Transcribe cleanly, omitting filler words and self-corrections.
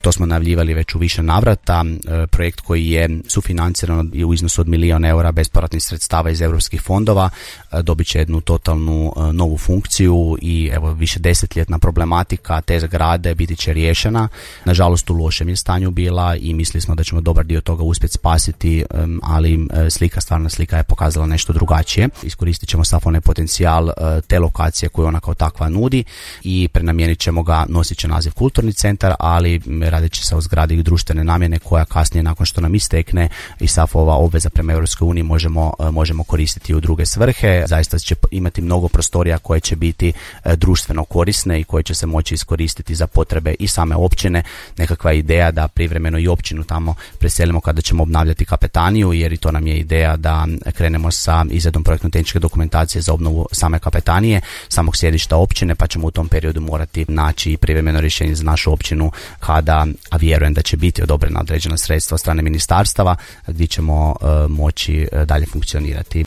To smo najavljivali već u više navrata. Projekt koji je sufinanciran u iznosu od €1 milion bespovratnih sredstava iz europskih fondova dobit će jednu totalnu novu funkciju i evo više desetljetna problematika te zgrade biti će riješena. Nažalost u lošem je stanju bila i mislili smo da ćemo dobar dio toga uspjeti spasiti, ali stvarna slika je pokazala nešto drugačije. Iskoristit ćemo sav onaj potencijal te lokacije koju ona kao takva nudi i prenamijenit ćemo ga, nosit će naziv kulturni centar, ali radit će se o zgradi društvene namjene koja kasnije nakon što nam istekne i sav ova obveza prema Europskoj uniji možemo koristiti u druge svrhe. Zaista će imati mnogo prostorija koje će biti društveno korisne i koje će se moći iskoristiti za potrebe i same općine. Nekakva ideja da privremeno i općinu tamo preselimo kada ćemo obnavljati kapetaniju, jer i to nam je ideja da krenemo sa izradom projektno-tehničke dokumentacije za obnovu same kapetanije, samog sjedišta općine, pa ćemo u tom periodu morati naći privremeno rješenje za našu općinu kada, a vjerujem da će biti odobrena određena sredstva od strane ministarstava gdje ćemo moći dalje funkcionirati.